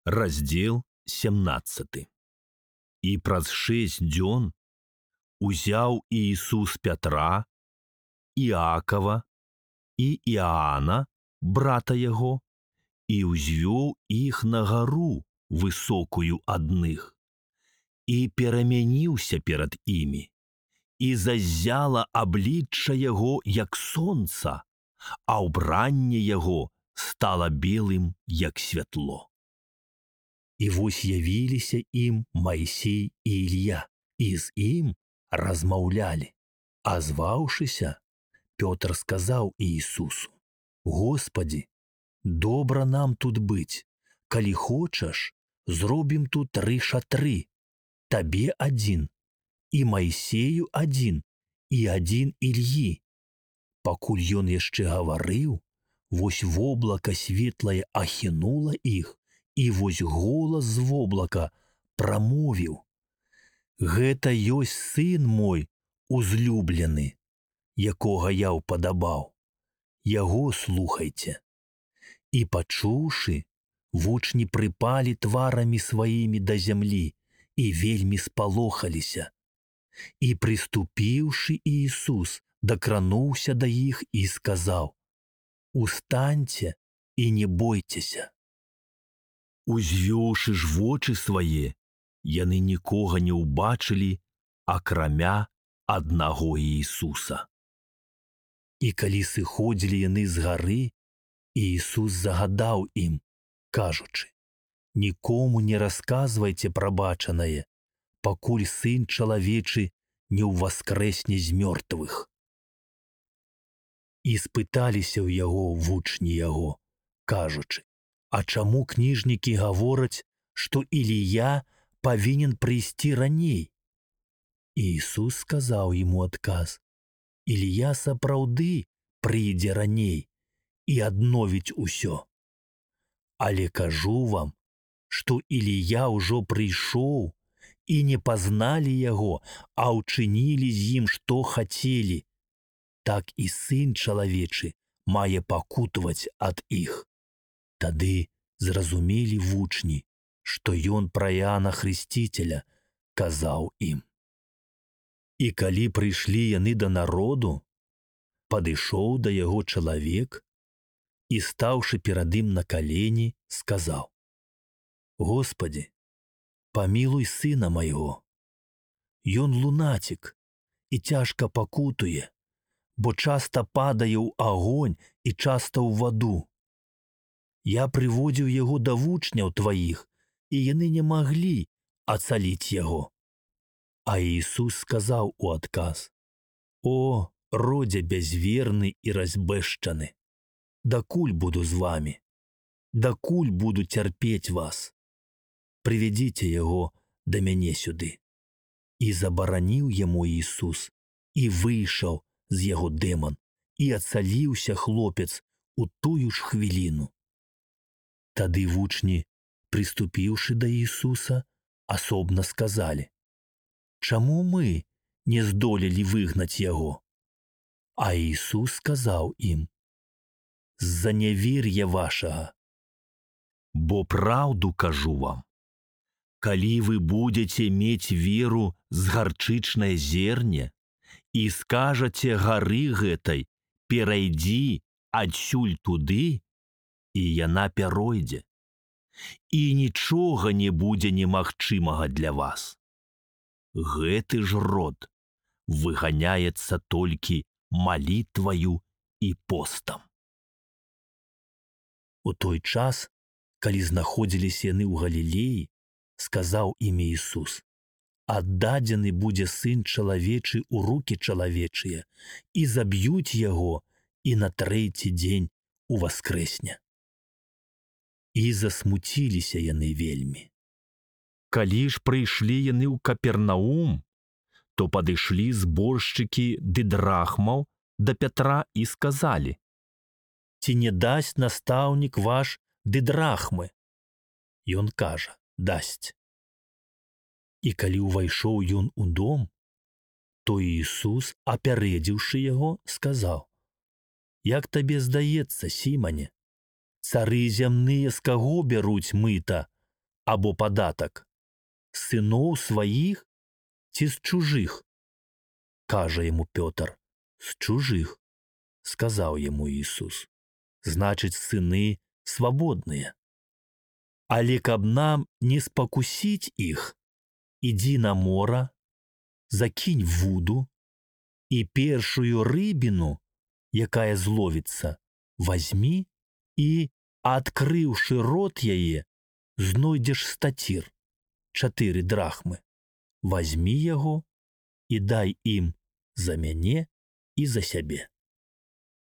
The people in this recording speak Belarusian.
Раздзел 17. І праз 6 дзён узяў Іісус Пятра, Іакава і Іаана, брата яго, і ўзвёў іх на гару высокую адных, і перамяніўся перад імі, і заззяла аблічча яго, як сонца, а ўбранне яго стала белым, як святло. І вось явіліся ім Майсей і Ілья, і з ім размаўлялі. А зваўшыся, Пётр сказаў Іісусу: «Господі, добра нам тут быць. Калі хочаш, зробім тут 3 шатры. Табе адзін, і Майсею адзін, і адзін Ільі». Пакуль ён яшчэ гаварыў, вось воблака светлае ахінула іх, і вось голас з воблака прамовіў: «Гэта ёсць сын мой узлюблены, якога я ўпадабаў. Яго слухайце». І пачуўшы, вучні прыпалі тварамі сваімі да зямлі і вельмі спалохаліся. І прыступіўшы Іісус, дакрануўся да іх і сказаў: «Устаньце і не бойцеся». Узвёўшы ж вочы свае, яны нікога не ўбачылі, акрамя аднаго Іісуса. І калі сыходзілі яны з гары, Іісус загадаў ім, кажучы: «Нікому не расказвайце пра бачанае, пакуль Сын чалавечы не ўваскрэсне з мёртвых». І спыталіся ў яго вучні яго, кажучы: «А чаму кніжнікі гавораць, што Ілія павінен прыйсці раней?» Іісус сказаў яму адказ: «Ілія сапраўды прыйдзе раней і адновіць усё. Але кажу вам, што Ілія ўжо прыйшоў, і не пазналі яго, а ўчынілі з ім, што хацелі. Так і Сын чалавечы мае пакутаваць ад іх». Тады зразумелі вучні, што ён пра Іаана Хрысціцеля казаў ім. І калі прыйшлі яны да народу, падышоў да яго чалавек і, стаўшы перад ім на калені, сказаў: «Господі, памілуй сына майго. Ён лунацік і цяжка пакутуе, бо часта падае ў агонь і часта ў ваду. Я прыводзіў яго да вучняў тваіх, і яны не маглі ацаліць яго». А Іісус сказаў у адказ: «О, родзе бязверны і разбэшчаны, дакуль буду з вамі? Дакуль буду цярпець вас? Прывядзіце яго да мяне сюды». І забараніў яму Іісус, і выйшаў з яго дэман, і ацаліўся хлопец у тую ж хвіліну. Тады вучні, прыступіўшы да Іісуса, асобна сказалі: «Чаму мы не здолелі выгнаць яго?» А Іісус сказаў ім: «З-за нявер'я вашага. Бо праўду кажу вам, калі вы будзеце мець веру з гарчычнае зерне і скажаце гары гэтай: перайдзі адсюль туды, і яна пяройдзе, і нічога не будзе немагчымага для вас. Гэты ж род выганяецца толькі малітваю і постам». У той час, калі знаходзіліся яны ў Галілеі, сказаў ім Іісус: «Аддадзены будзе Сын чалавечы ў рукі чалавечыя, і заб'юць яго, і на 3-й дзень уваскрэсне». І засмуціліся яны вельмі. Калі ж прыйшлі яны ў Капернаум, то падышлі зборшчыкі дыдрахмаў да Пятра і сказалі: «Ці не дасць настаўнік ваш дыдрахмы?» Ён кажа: «Дасць». І калі ўвайшоў ён у дом, то Іісус, апярэдзіўшы яго, сказаў: «Як табе здаецца, Сімане, цары зямныя з каго бяруць мыта? або падатак? Сыноў сваіх ці з чужых? Кажа яму Пётр: з чужых. Сказаў яму Ісус: значыць, сыны свабодныя. Але каб нам не спакусіць іх, ідзі на мора, закінь вуду, і першую рыбіну, якая зловіцца, вазьмі і, адкрыўшы рот яе, знойдзеш стацір, 4 драхмы. Вазьмі яго і дай ім за мяне і за сябе.